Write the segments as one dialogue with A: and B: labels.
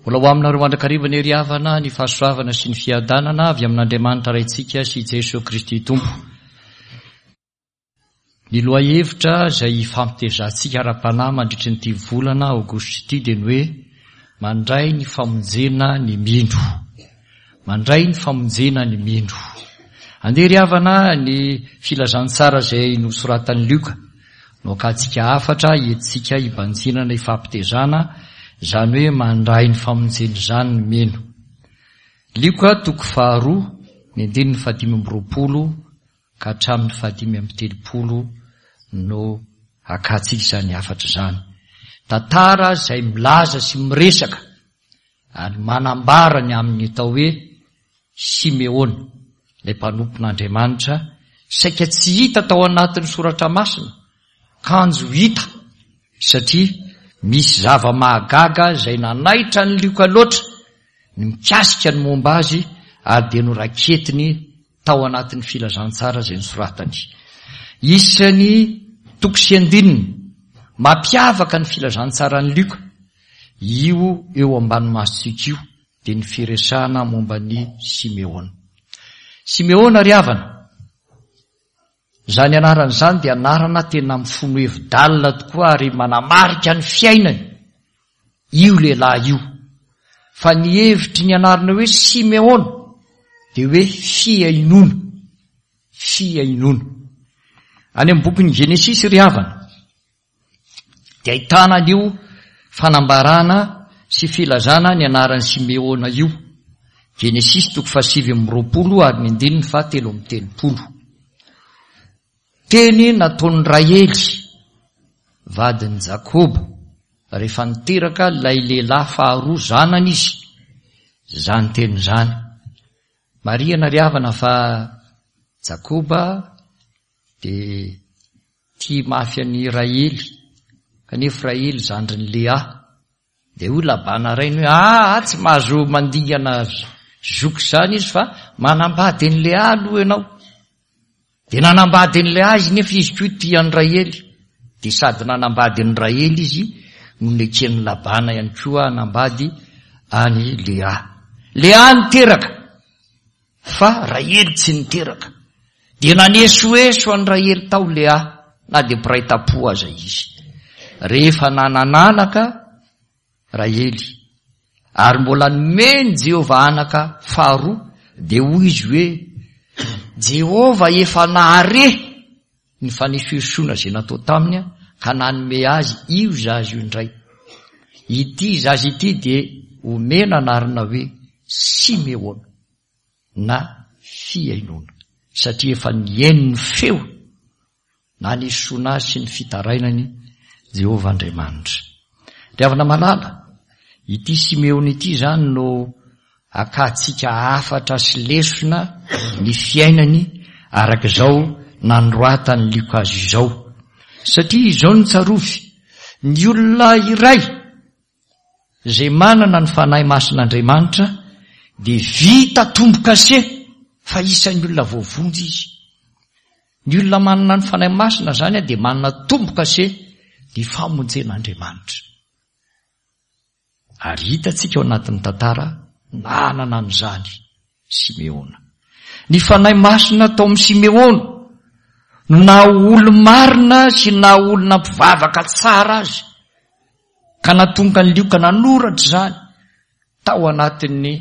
A: Mbola ho aminareo mandrakariva anie ry havana ny fahasoavana sy ny fiadanana avy amin'Andriamanitra Raintsika sy Jesoa Kristy Tompo. Ny lohahevitra izay hifampitezantsika ara-panahy mandritry ny ity volana aogositra ity dia ny hoe mandray ny famonjena ny mino. Mandray ny famonjena ny mino. Andeha ry havana ny filazantsara izay nosoratan'i Lioka no akantsika hafatra entintsika hibanjinana hifampitezana, izany hoe mandray ny famonjena izany ny mino. Lioka toko faharoa ny andininy fahadimy amby 20 ka hatramin'ny fahadimy amby 30 no akantsika izany hafatra izany. Tantara izay milaza sy miresaka ary manambara ny amin'ny atao hoe Simeona, ilay mpanompon'Andriamanitra, saika tsy hita tao anatin'ny soratra masina, kanjo hita satria misy zava-mahagaga izay nanaitra an'i Lioka loatra ny mikasika ny momba azy ary dia noraketiny tao anatin'ny filazantsara izay nosoratany. Isan'ny toko sy andininy mampiavaka ny filazantsaran'i Lioka io eo ambany masontsika io dia ny firesahana momba an'i Simeona. Simeona ry havana, izany anarana izany dia anarana tena mifono hevi-dalina tokoa ary manamarika ny fiainany io lehilahy io. Fa ny hevitry ny anarana hoe Simeona dia hoe fihainoana, fihainoana. Any amin'ny bokin'ny Genesisy ry havana, dia ahitana an'io fanambarana sy filazana ny anaran'i Simeona io. Genesisy toko fahasivy amby 20 ary ny andininy fahatelo amby 30. Teny nataon'i Rahely, vadin'i Jakoba, rehefa niteraka ilay lehilahy faharoa zanany izy, izany teny izany. Marihana ry havana fa Jakoba dia tia mafy an'i Rahely, kanefa Rahely zandrin'i Lea. Dia hoy Labana rainy hoe, aa, tsy mahazo mandingana zoky izany izy fa manambady an'i Lea aloha ianao. Dia nanambady an'i Lea izy nefa izy koa tia an'i Rahely. Dia sady nanambady an'i Rahely izy no neken'i Labana ihany koa hanambady an'i Lea. Lea niteraka. Fa Rahely tsy niteraka. Dia nanesoeso an'i Rahely tao Lea, na dia mpiray tam-po aza izy. Rehefa nanan'anaka Rahely, ary mbola nomen'i Jehovah anaka faharoa, dia hoy izy hoe, Jehovah efa nahare ny fanesoesoana izay natao taminy ka nanome azy io zaza io indray. Ity zaza ity dia omena anarana hoe Simeona na fihainoana, satria efa nihaino ny feo nanesoana azy sy ny fitarainany Jehovah Andriamanitra. Ry havana malala, ity Simeona ity izany no Akantsika hafatra sy lesona ny fiainany araka izao nanoratan'i Lioka azy izao. Satria izao no tsarovy, ny olona iray izay manana ny Fanahy Masin'Andriamanitra dia vita tombo-kase fa isan'ny olona voavonjy izy. Ny olona manana ny Fanahy Masina izany dia manana tombo-kase ny famonjen'Andriamanitra. Ary hitantsika ao anatin'ny tantara nanana an'izany Simeona. Ny Fanahy Masina tao amin'i Simeona no naha olo-marina sy naha olona mpivavaka tsara azy, ka nahatonga an'i Lioka nanoratra izany tao anatin'ny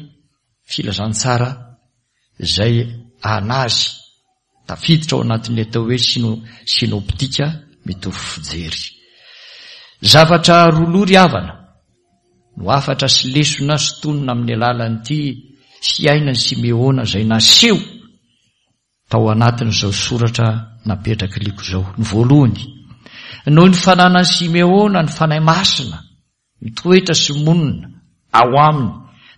A: filazantsara izay an'azy. Tafiditra ao anatin'ilay atao hoe synoptika mitovy fijery. Zavatra roa loha ry havana no hafatra sy lesona sintonina amin'ny alalan'ity fiainan'i Simeona izay naseho tao anatin'izao soratra napetrak'i Liko izao. Ny voalohany, noho ny fananan'i Simeona ny Fanahy Masina mitoetra sy monina ao aminy,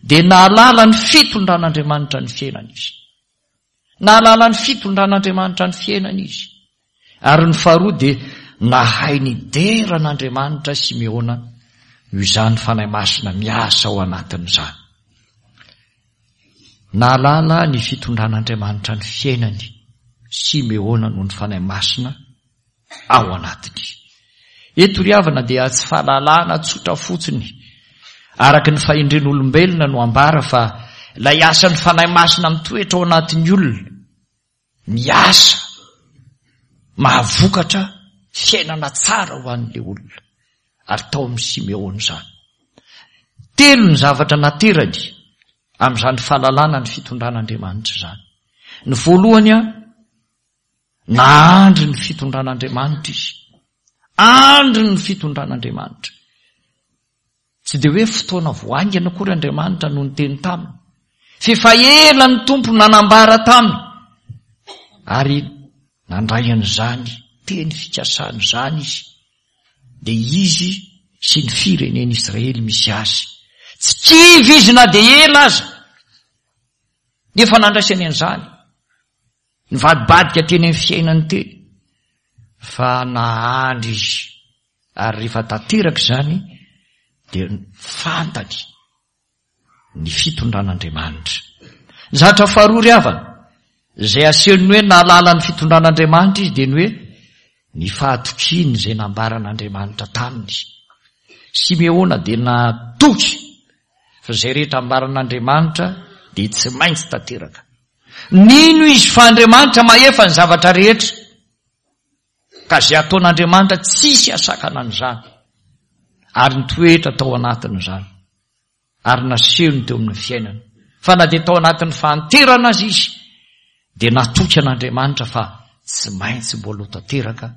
A: dia nahalala ny fitondran'Andriamanitra ny fiainany izy. Nahalala ny fitondran'Andriamanitra ny fiainany izy. Ary ny faharoa dia nahay nidera an'Andriamanitra Simeona noho izany Fanahy Masina miasa ao anatin'izany. Nahalala ny fitondran'Andriamanitra ny fiainany Simeona noho ny Fanahy Masina ao anatiny. Eto ry havana dia tsy fahalalana tsotra fotsiny. Araka ny fahendren'olombelona no ambara fa ilay asan'ny Fanahy Masina mitoetra ao anatin'ny olona, miasa, mahavokatra fiainana tsara ho an'ilay olona. Ary tao amin'i Simeona izany. Telo ny zavatra naterany amin'izany fahalalana ny fitondran'Andriamanitra izany. Ny voalohany, nahandry ny fitondran'Andriamanitra izy. Andry ny fitondran'Andriamanitra. Tsy dia hoe fotoana vao haingana akory Andriamanitra no niteny taminy, f'efa ela ny Tompo nanambara taminy, ary nandray an'izany teny fikasana izany izy, dia izy sy ny firenen'Israely misy azy. Tsy kivy izy na dia ela aza, nefa nandraisany an'izany. Nivadibadika teny amin'ny fiainany teny, fa nahandry izy, ary rehefa tanteraka izany dia fantany ny fitondran'Andriamanitra. Ny zavatra faharoa ry havana, izay asehon'ny hoe nahalala ny fitondran'Andriamanitra izy dia ny hoe ny fahatokiany izay nambaran'Andriamanitra taminy. Simeona dia natoky fa izay rehetra ambaran'Andriamanitra dia tsy maintsy tanteraka. Nino izy fa Andriamanitra mahefa ny zavatra rehetra, ka izay ataon'Andriamanitra tsisy hasakana an'izany, ary nitoetra tao anatin'izany, ary nasehony teo amin'ny fiainany, fa na dia tao anatin'ny fahanterana aza izy, dia natoky an'Andriamanitra fa tsy maintsy mbola ho tanteraka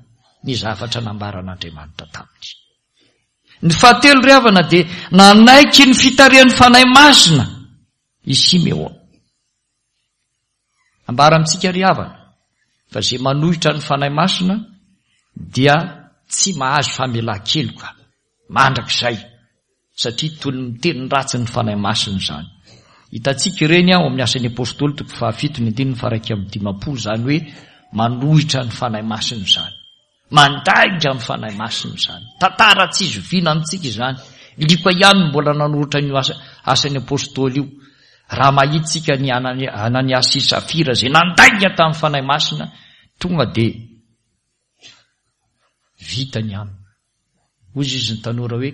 A: ny zavatra nambaran'Andriamanitra taminy. Ny fahatelo ry havana dia nanaiky ny fitarihan'ny Fanahy Masina i Simeona. Ambara amintsika ry havana fa izay manohitra ny Fanahy Masina dia tsy mahazo famelan-keloka mandrakizay satria toy ny miteny ratsy ny Fanahy Masina izany. Hitantsika ireny ao amin'ny Asan'ny Apostoly toko fahafito ny andininy faha-51 izany hoe manohitra ny Fanahy Masina izany. Mandainga amin'ny Fanahy Masina izany. Tantara tsy zoviana amintsika izany. Lioka ihany no mbola nanoratra an'io asa, asan'ny Apostoly io. Raha mahita isika ny Ananiasy sy Safira izay nandainga tamin'ny Fanahy Masina, tonga dia vita ny aminy. Hoy izy ny tanora hoe,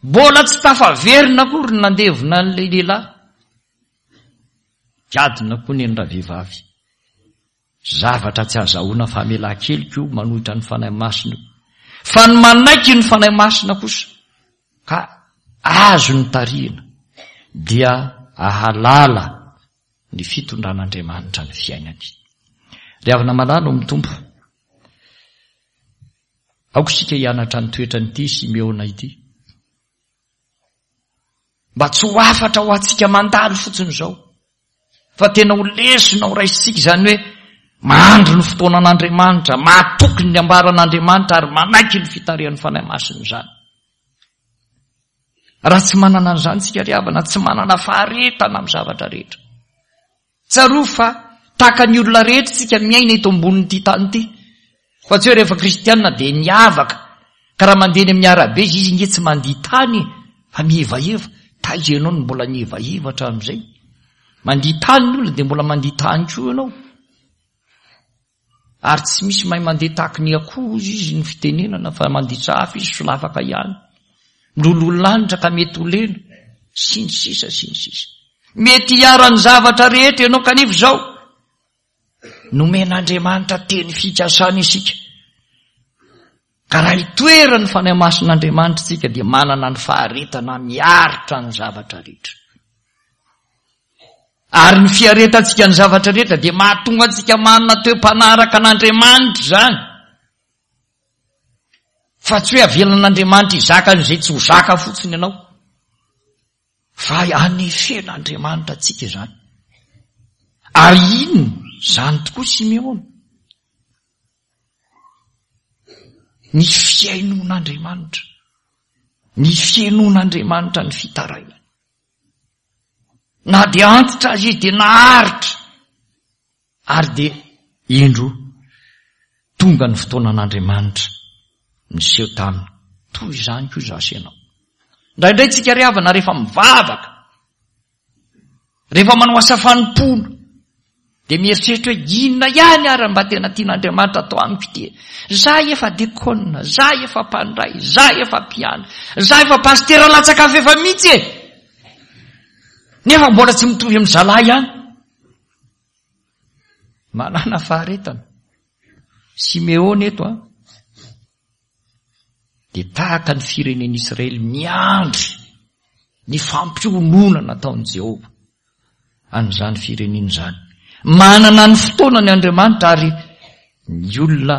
A: Mbola tsy tafaverina akory ny nandevona an'ilay lehilahy. Jadona koa neny ravehivavy. Zavatra tsy azahoana famelan-keloka io manohitra ny Fanahy Masina io. Fa ny manaiky ny Fanahy Masina kosa ka azony tarihina dia ahalala ny fitondran'Andriamanitra ny fiainany. Ry havana malala ao amin'ny Tompo, aoka isika hianatra ny toetran'ity Simeona ity. Mba tsy ho hafatra ho antsika mandalo fotsiny izao, fa tena ho lesona ho raisintsika izany hoe mandry ny fotoanan'Andriamanitra, matoky ny ambaran'Andriamanitra ary manaiky ny fitarihan'ny Fanahy Masina izany. Raha tsy manana an'izany tsika ry havana, tsy manana faharetana amin'ny zavatra rehetra. Tsarovy fa tahaka ny olona rehetra isika miaina eto ambonin'ity tany ity. Fa tsy hoe rehefa kristianina dia miavaka. Ka raha mandeha eny amin'ny arabe izy, izy nge tsy mandia tany e, fa mihevaheva. Taiza ianao no mbola nihevaheva hatramin'izay? Mandia tany ny olona dia mbola mandia tany koa ianao. Ary tsy misy mahay mandeha tahaky ny akoho hozy izy ny fitenenana fa manditsa hafa izy solafaka ihany. Miloloha lanitra ka mety ho lena. Sy ny sisa sy ny sisa. Mety hiharan'ny zavatra rehetra ianao kanefa izao nomen'Andriamanitra teny fikasana isika. Ka raha itoeran'ny Fanahy Masin'Andriamanitra isika dia manana ny faharetana miaritra ny zavatra rehetra. Ary ny fiaretantsika ny zavatra rehetra dia mahatonga antsika manana toe-panahy araka an'Andriamanitra izany. Fa tsy hoe avelan'Andriamanitra hizaka an'izay tsy ho zaka fotsiny ianao. Fa anefen'Andriamanitra antsika izany. Ary inona izany tokoa Simeona? Ny fihainoan'Andriamanitra. Ny fihainoan'Andriamanitra ny fitarainany. Na dia antitra aza izy dia naharitra. Ary dia indro tonga ny fotoanan'Andriamanitra niseho taminy. Toy izany koa izaho sy ianao. Indraindray tsika ry havana rehefa mivavaka, rehefa manao asa fanompoana, Dia mieritreritra hoe inona ihany ary mba tena tian'Andriamanitra atao amiko ity e? Za efa dekona, za efa mpandray, za efa mpiandry, za efa pasitera latsaka fefa mihitsy e! Nefa mbola tsy mitovy amin'ny zalahy ihany. Manana faharetana. Simeona eto an. Dia tahaka ny firenen'Israely miandry ny fampiononana nataon'i Jehovah an'izany firenena izany. Manana ny fotoanany Andriamanitra ary ny olona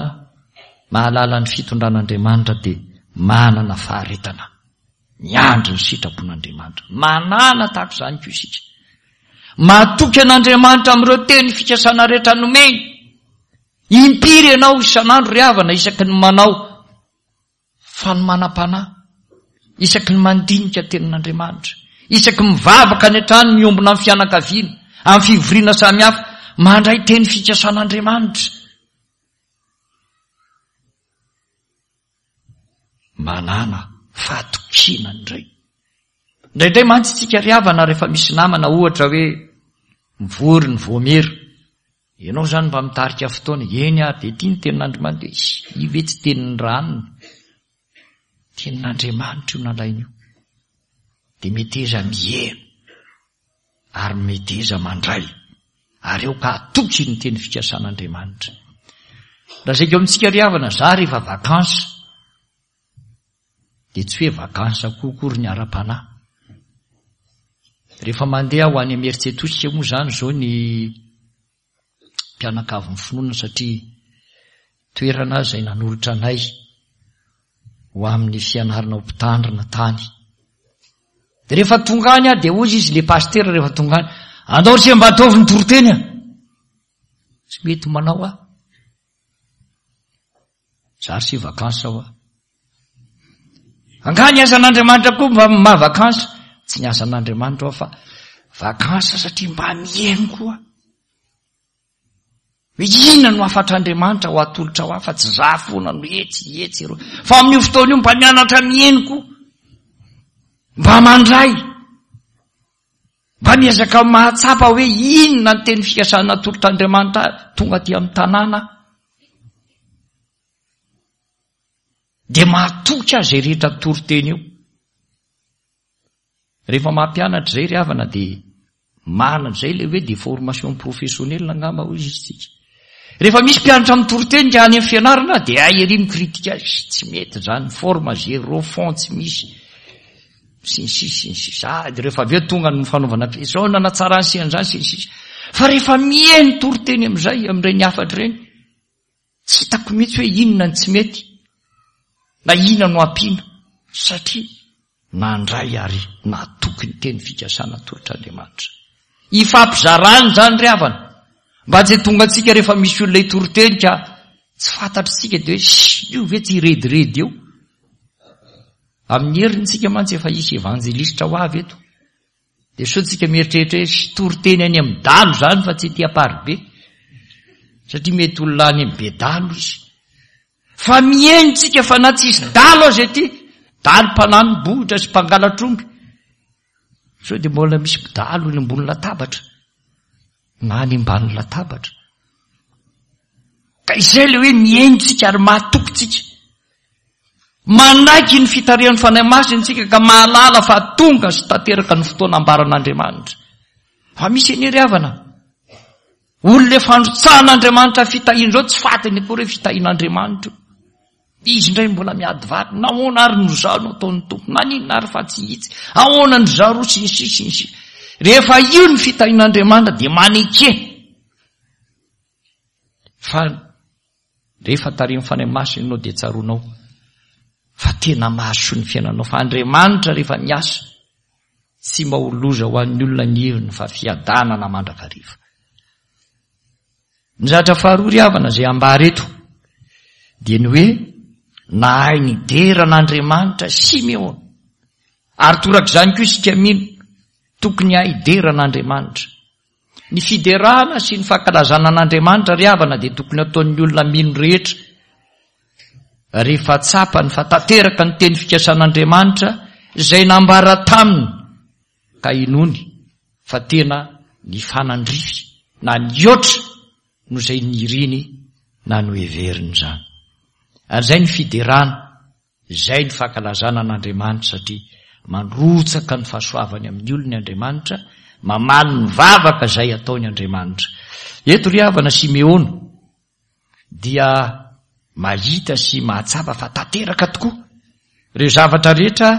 A: mahalala ny fitondran'Andriamanitra dia manana faharetana. Miandry ny sitrapon'Andriamanitra. Manana tahaka izany koa isika. Matoky an'Andriamanitra amin'ireo teny fikasana rehetra nomeny. Impiry ianao isan'andro ry havana isaky ny manao fanomanam-panahy, isaky ny mandinika tenin'Andriamanitra, isaky ny mivavaka any an-trano miombona amin'ny fianakaviana, amin'ny fivoriana samihafa, mandray teny fikasan'Andriamanitra. Manàna fahatokiana indray. Indraindray mantsy isika ry havana rehefa misy namana ohatra hoe mivory ny voamera, ianao izany mba mitarika fotoana, eny ary dia ity ny tenin'Andriamanitra, dia io ve tsy tenin'ny ranona? Tenin'Andriamanitra io nalaina io. Dia meteza miheno ary meteza mandray ary aoka hatoky ny teny fikasan'Andriamanitra. Lazaiko amintsika ry havana, za rehefa vacances dia tsy hoe vacances koa akory ny ara-panahy. Rehefa mandeha aho any Imerintsiatosika moa izany izao ny mpianakavin'ny finoana satria toerana izay nanolotra anay ho amin'ny fianarana ho mpitandrina tany. Dia rehefa tonga any aho dia hoy izy le pasitera rehefa tonga any, andao ry se mba ataovy ny toriteny a! Tsy mety manao aho. Zary sy vacances aho. Angaha ny asan'Andriamanitra koa mba maha vacances? Tsy ny asan'Andriamanitra aho fa vacances satria mba mihaino koa. Hoe inona no hafatr'Andriamanitra ho atolotra ho ahy fa tsy za foana no etsy etsy eroa. Fa amin'io fotoana io mba mianatra mihaino koa. Mba mandray. Mba miezaka mahatsapa hoe inona ny teny fikasana atolotr'Andriamanitra tonga aty amin'ny tanàna. Dia mahatoky azy izay rehetra toriteny eo. Rehefa mampianatra izay ry havana dia manana izay ilay hoe de formation professionnelle angamba hoy izy tsika. Rehefa misy mpianatra mitoriteny ka any amin'ny fianarana dia hay ery mi-critique azy, tsy mety izany, forme zéro, fond tsy misy, sy ny sisa sy ny sisa. Ah, dia rehefa avy eo tonga ny fanaovana izao nanatsara sy an'izany sy ny sisa. Fa rehefa mihaino toriteny amin'izay, amin'ireny hafatra ireny, Tsy hitako mihitsy hoe inona ny tsy mety na inona no ampiana satria nandray ary natoky ny teny fikasana atolotr'Andriamanitra. Ifampizarana izany ry havana mba tsy tonga antsika rehefa misy olona hitory teny ka tsy fantatr'isika dia hoe io ve tsy hirediredy eo. Amin'ny heriny tsika mantsy efa hisy evanjelistra ho avy eto. Dia sao tsika mieritreritra hoe hitory teny any amin'ny dalo izany fa tsy ety Amparibe. Satria mety olona any amin'ny bedalo izy. Fa mihaino tsika fa na tsisy dalo aza ety, dalo mpanani-bohitra sy mpangalatr'omby. Sao dia mbola misy mpidalo eny ambony latabatra na any ambany latabatra. Ka izay ilay hoe mihaino tsika ary mahatoky tsika. Manaiky ny fitarihan'ny Fanahy Masina isika ka mahalala fa tonga sy tanteraka ny fotoana ambaran'Andriamanitra. Fa misy anie ry havana, olona efa androtsahan'Andriamanitra fitahiana izao tsy fantany akory hoe fitahian'Andriamanitra io. Izy indray mbola miady vato, nahoana ary no izaho no ataon'ny Tompo, naninona ary fa tsy hitsy, ahoana ny zaroa sy ny sisa sy ny sisa. Rehefa io ny fitahian'Andriamanitra dia maneke fa Rehefa tarihin'ny Fanahy Masina ianao dia tsaroanao fa tena mahasoa ny fiainanao fa Andriamanitra rehefa miasa tsy mba ho loza ho an'ny olona ny heviny fa fiadanana mandrakariva. Ny zavatra faharoa ry havana izay ambara eto dia ny hoe nahay nidera an'Andriamanitra Simeona ary torak'izany koa isika mino tokony hahay hidera an'Andriamanitra. Ny fiderana sy ny fankalazana an'Andriamanitra ry havana dia tokony ataon'ny olona mino rehetra rehefa tsapany fa tanteraka ny teny fikasan'Andriamanitra izay nambara taminy ka inoany fa tena nifanandrify. na nihoatra noho izay niriny na noheveriny izany. Ary izay ny fiderana, izay ny fankalazana an'Andriamanitra satria mandrotsaka ny fahasoavany amin'ny olony Andriamanitra, mamaly ny vavaka izay ataony Andriamanitra. Eto ry havana Simeona dia mahita sy mahatsapa fa tanteraka tokoa ireo zavatra rehetra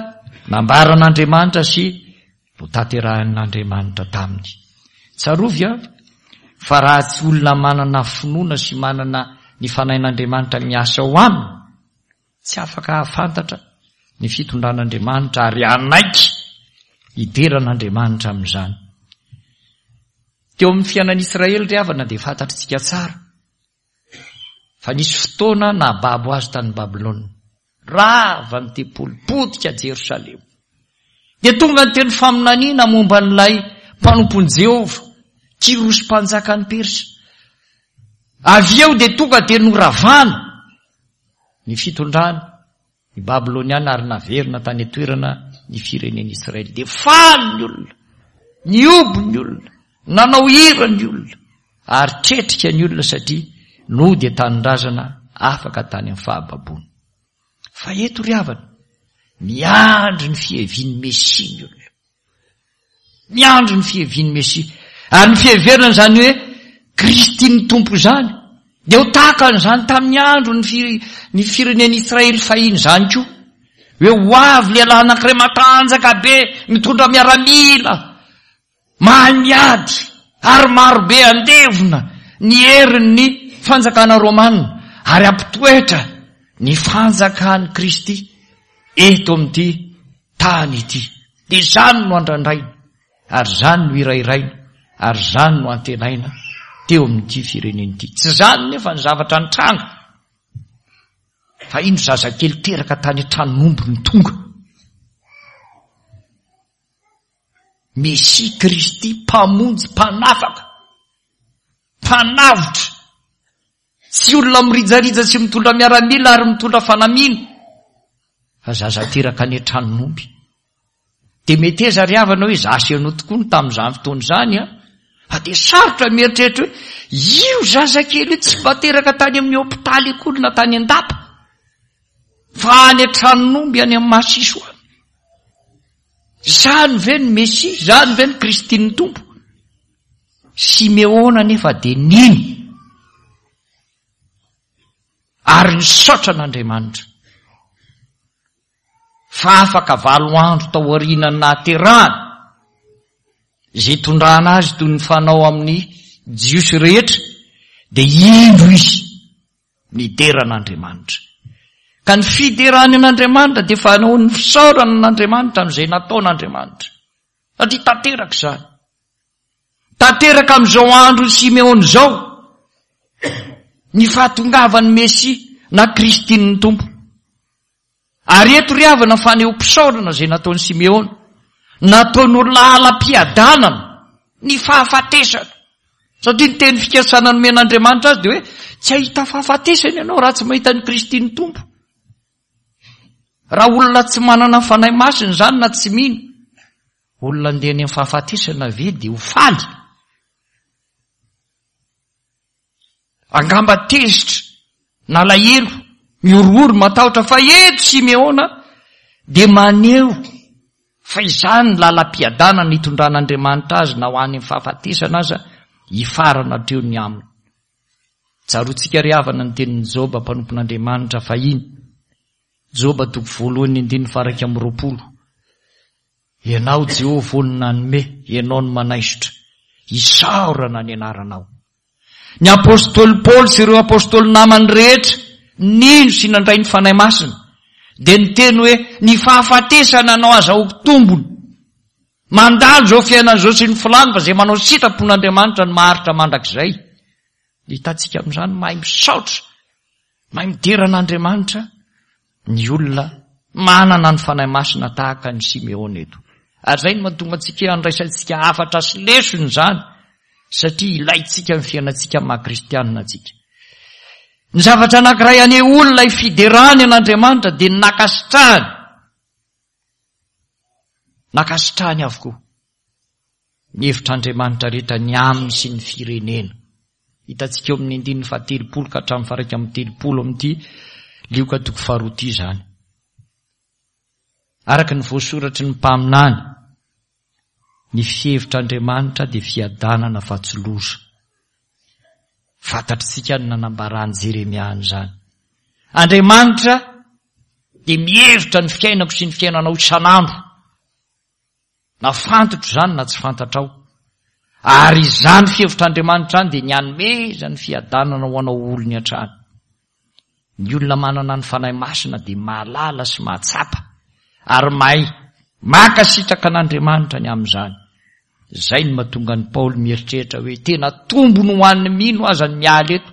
A: nambaran'Andriamanitra sy notanterahin'Andriamanitra taminy. Tsarovy an, fa raha tsy olona manana finoana sy manana ny Fanahin'Andriamanitra miasa ao aminy, tsy afaka hahafantatra ny fitondran'Andriamanitra ary hanaiky hidera an'Andriamanitra amin'izany. Teo amin'ny fiainan'Israely ry havana dia fantatritsika tsara fa nisy fotoana nahababo azy tany Babylona. Rava ny tempoly, potika Jerosalema. Dia tonga ny teny faminaniana momba an'ilay mpanompon'i Jehovah, Kyrosy mpanjakan'i Persa. Avy eo dia tonga dia noravana ny fitondrany, ny Babyloniana ary naverina tany an-toerana ny firenen'Israely. Dia faly ny olona, nihoby ny olona, nanao hira ny olona, ary tretrika ny olona satria nody an-tanindrazana afaka tany amin'ny fahababoana. Fa eto ry havana, miandry ny fihevian'ny Mesia ny olona. Miandry ny fihevian'ny Mesia. Ary ny fiheverana izany hoe Kristy ny Tompo izany, dia ho tahaka an'izany tamin'ny andro ny fi, ny firenen'Israely fahiny izany koa. Hoe ho avy lehilahy anankiray matanjaka be, mitondra miaramila, mahay miady, ary marobe andevona ny herin'ny fanjakana romana, ary hampitoetra ny fanjakan'i Kristy eto amin'ity tany ity. Dia izany no andrandraina, ary izany no hirahiraina, ary izany no antenaina teo amin'ity firenena ity. Tsy izany nefa ny zavatra nitranga, fa indro zazakely teraka tany an-tranon'omby no tonga. Mesia Kristy, Mpamonjy, Mpanafaka, Mpanavotra. Tsy olona mirijarija sy mitondra miaramila ary mitondra fanamiana fa zaza teraka any an-tranon'omby. Dia meteza ry havana hoe za sy ianao tokoa no tamin'izany fotoana izany an! Fa dia sarotra mieritreritra hoe io zazakely io tsy mba teraka tany amin'ny hopitaly akory na tany an-dapa fa any an-tranon'omby any amin'ny masiso any. Izany ve ny Mesia? Izany ve ny Kristin'ny Tompo? Simeona anefa dia nino ary nisaotra an'Andriamanitra fa afaka valo andro tao aorianan'ny nahaterahany, izay itondrana azy toy ny fanao amin'ny Jiosy rehetra, dia indro izy nidera an'Andriamanitra. Ka ny fiderany an'Andriamanitra dia fanaon'ny fisaorana an'Andriamanitra amin'izay nataon'Andriamanitra. Satria tanteraka izany. Tanteraka amin'izao andron'i Simeona izao ny fahatongavan'ny Mesia na Kristin'ny Tompo. Ary eto ry havana fanehoam-pisaorana izay nataon'i Simeona. Nataony ho lalam-piadanana ny fahafatesana. Satria ny teny fikasana nomen'Andriamanitra azy dia hoe tsy hahita fahafatesana ianao raha tsy mahita ny Kristin'ny Tompo. Raha olona tsy manana Fanahy Masina izany na tsy mino, olona andeha any amin'ny fahafatesana ve dia ho faly? Angamba tezitra, nalahelo, mihorohoro, matahotra fa eto Simeona dia maneho fa izany ny lalam-piadanana itondran'Andriamanitra azy na ho any amin'ny fahafatesana aza hifarana hatreo ny aminy. Tsaroantsika ry havana ny tenin'i Joba mpanompon'Andriamanitra fahiny. Joba toko voalohany andininy faha-21. Ianao Jehovah ô no nanome, Ianao no manaisotra. Isaorana ny anaranao. Ny apostoly Paoly sy ireo apostoly namany rehetra nino sy nandray ny Fanahy Masina dia niteny hoe ny fahafatesana no azahoako tombony. Mandalo izao fiainana izao sy ny filàny fa izay manao sitrapon'Andriamanitra no maharitra mandrakizay. Hitantsika amin'izany mahay misaotra, mahay midera an'Andriamanitra ny olona manana ny Fanahy Masina tahaka an'i Simeona eto. Ary izay no mahatonga antsika handraisantsika hafatra sy lesona izany satria ilaintsika ny fiainantsika maha kristianina antsika. Ny zavatra anankiray anehoany ilay fiderany an'Andriamanitra dia ny nankasitrahany. Nankasitrahany avokoa. Ny hevitr'Andriamanitra rehetra ny aminy sy ny firenena. Hitantsika eo amin'ny andininy fahatelopolo ka hatramin'ny faha-31 amin'ity Lioka toko faharoa ity izany. Araka ny voasoratry ny mpaminany, ny fihevitr'Andriamanitra dia fiadanana fa tsy loza. Fantatr'isika ny nanambaran'i Jeremia an'izany. Andriamanitra dia mihevitra ny fiainako sy ny fiainanao isan'andro. Na fantatro izany na tsy fantatrao. Ary izany fihevitr'Andriamanitra izany dia ny hanomezany fiadanana ho anao olony hatrany. Ny olona manana ny Fanahy Masina dia mahalala sy mahatsapa ary mahay mankasitraka an'Andriamanitra ny amin'izany. Izay no mahatonga an'i Paoly mieritreritra hoe tena tombony ho an'ny mino aza ny miala eto.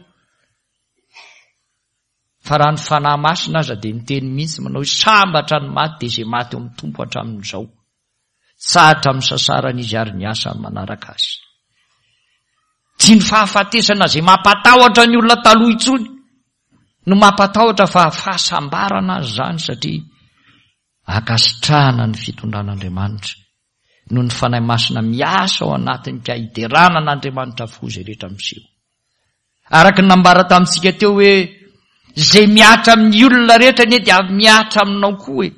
A: Fa raha ny Fanahy Masina aza dia niteny mihitsy manao hoe sambatra ny maty dia izay maty eo amin'ny Tompo hatramin'izao. Tsahatra amin'ny sasarany izy ary ny asany manaraka azy. Tsy ny fahafatesana izay mampatahotra ny olona taloha intsony no mampatahotra fa fahasambarana azy izany satria ankasitrahana ny fitondran'Andriamanitra noho ny Fanahy Masina miasa ao anatiny ka hiderana an'Andriamanitra avokoa izay rehetra miseho. Araka ny nambara tamintsika teo hoe izay mihatra amin'ny olona rehetra anie dia mihatra aminao koa e.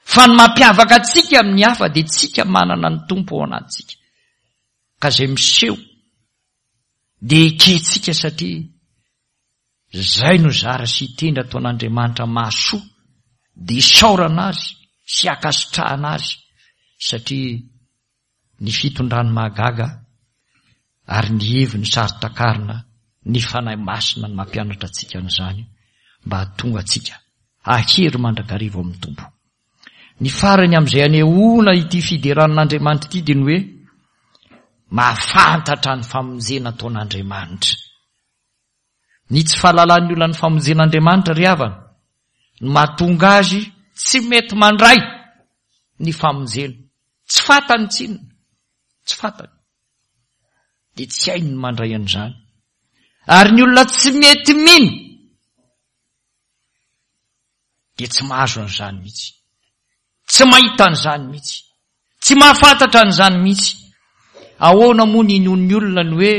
A: Fa ny mampiavaka antsika amin'ny hafa dia tsika manana ny Tompo ao anatintsika. Ka izay miseho dia ekentsika satria izay no zara sy hitendry ataon'Andriamanitra mahasoa dia isaorana azy sy ankasitrahana azy satria ny fitondrany mahagaga ary ny heviny saro-takarina, ny Fanahy Masina no mampianatra antsika an'izany mba hahatonga antsika hahery mandrakariva ao amin'ny Tompo. Ny farany amin'izay anehoana ity fiderana an'Andriamanitra ity dia ny hoe mahafantatra ny famonjena ataon'Andriamanitra. Ny tsy fahalalan'ny olona ny famonjen'Andriamanitra ry havana no mahatonga azy tsy mety mandray ny famonjena. Tsy fantany tsinona. Tsy fantany. Dia tsy hainy ny mandray an'izany. Ary ny olona tsy mety mino dia tsy mahazo an'izany mihitsy. Tsy mahita an'izany mihitsy. Tsy mahafantatra an'izany mihitsy. Ahoana moa ny inoan'ny olona ny hoe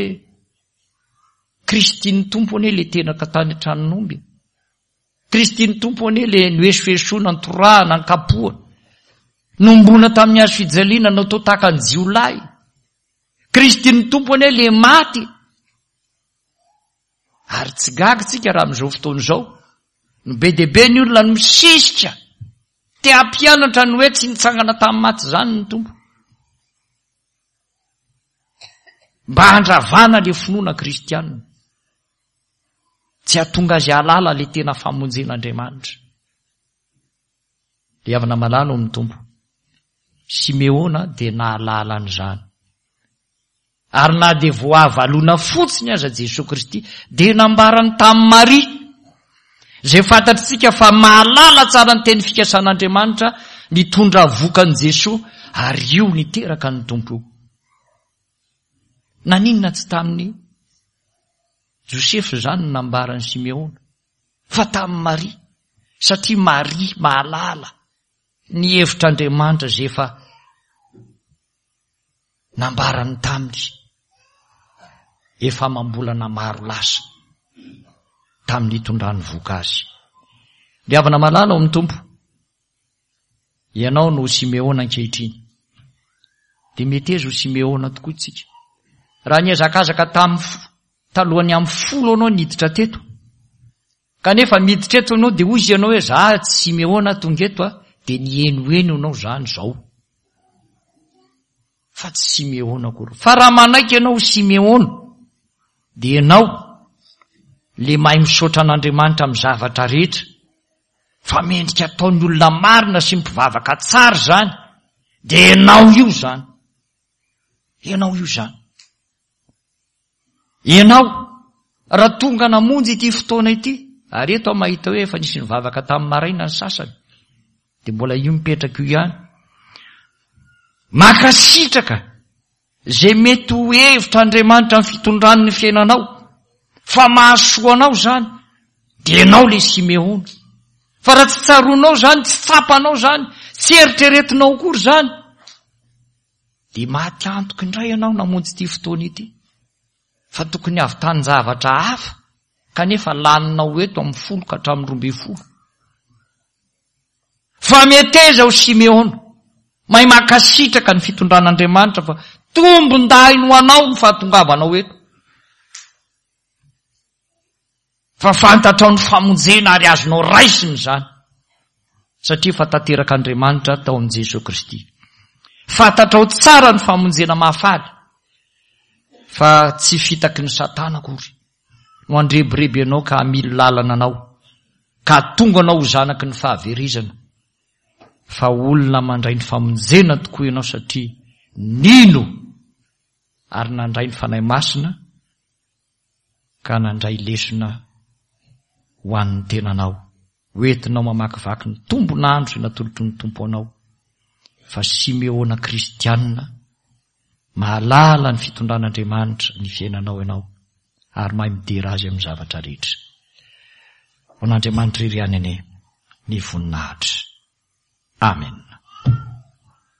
A: Kristy ny Tompo anie le teraka tany an-tranon'omby e. Kristy ny Tompo anie le noesoesoina, notorahana, nkapohana, nomboana tamin'ny hazo fijaliana, natao tahaka ny jiolahy. Kristy ny Tompo anie le maty. Ary tsy gaga tsika raha amin'izao fotoana izao no be dia be ny olona no misisika te hampianatra ny hoe tsy nitsangana tamin'ny maty izany ny Tompo. Mba handravana le finoana kristianina. Tsy hahatonga azy hahalala le tena famonjen'Andriamanitra. Le havana malala ao amin'ny Tompo. Simeona dia nahalala an'izany. Ary na dia voavalona fotsiny aza Jesoa Kristy dia nambarany tamin'i Maria, izay fantatritsika fa mahalala tsara ny teny fikasan'Andriamanitra nitondra vokan'i Jesoa ary io niteraka ny Tompo io. Naninona tsy tamin'i Josefa izany no nambaran'i Simeona fa tamin'i Maria, satria Maria mahalala ny hevitr'Andriamanitra izay efa nambarany taminy efa amam-bolana maro lasa tamin'ny nitondrany voka azy. Ry havana malala ao amin'ny Tompo, ianao no Simeona ankehitriny. Dia meteza ho Simeona tokoa isika. Raha nihazakazaka tamin'ny talohan'ny amin'ny folo ianao niditra teto, Kanefa miditra eto ianao dia hoy izy ianao hoe za tsy Simeona tonga eto a, dia nihenoheno ianao zany izao. Fa tsy Simeona akory. Fa raha manaiky ianao ho Simeona, dia ianao le mahay misaotra an'Andriamanitra amin'ny zavatra rehetra, fa mendrika ataon'ny olona marina sy mpivavaka tsara izany, dia ianao io izany. Ianao io izany. Ianao, raha tonga namonjy ity fotoana ity, ary eto aho mahita hoe efa nisy nivavaka tamin'ny maraina ny sasany, dia mbola io mipetraka io ihany. Mankasitraka izay mety ho hevitr'Andriamanitra amin'ny fitondrany ny fiainanao, fa mahasoa anao izany, dia ianao ilay Simeona. Fa raha tsy tsaroanao izany, tsy tsapanao izany, tsy eritreretinao akory izany, Dia maty antoka indray ianao namonjy ity fotoana ity. Fa tokony havitan-javatra hafa kanefa laninao eto amin'ny folo ka hatramin'ny 12. Fa meteza ho Simeona, mahay mankasitraka ny fitondran'Andriamanitra fa tombondahiny ho anao ny fahatongavanao eto. Fa fantatrao ny famonjena ary azonao raisina izany, satria efa tanterak'Andriamanitra tao amin'i Jesoa Kristy. Fantatrao tsara ny famonjena mahafaly, fa tsy fitaky ny Satana akory no handrebireby anao ka hamily lalana anao, ka hahatonga anao ho zanaky ny fahaverezana, fa olona mandray ny famonjena tokoa ianao satria nino ary nandray ny Fanahy Masina ka nandray lesona ho an'ny tenanao, ho entinao mamakivaky ny tombon'andro izay natolotry ny Tompo anao, fa Simeona kristianina, mahalala ny fitondran'Andriamanitra ny fiainanao ianao, ary mahay midera Azy amin'ny zavatra rehetra. Ho an'Andriamanitra irery ihany anie ny voninahitra. Amen.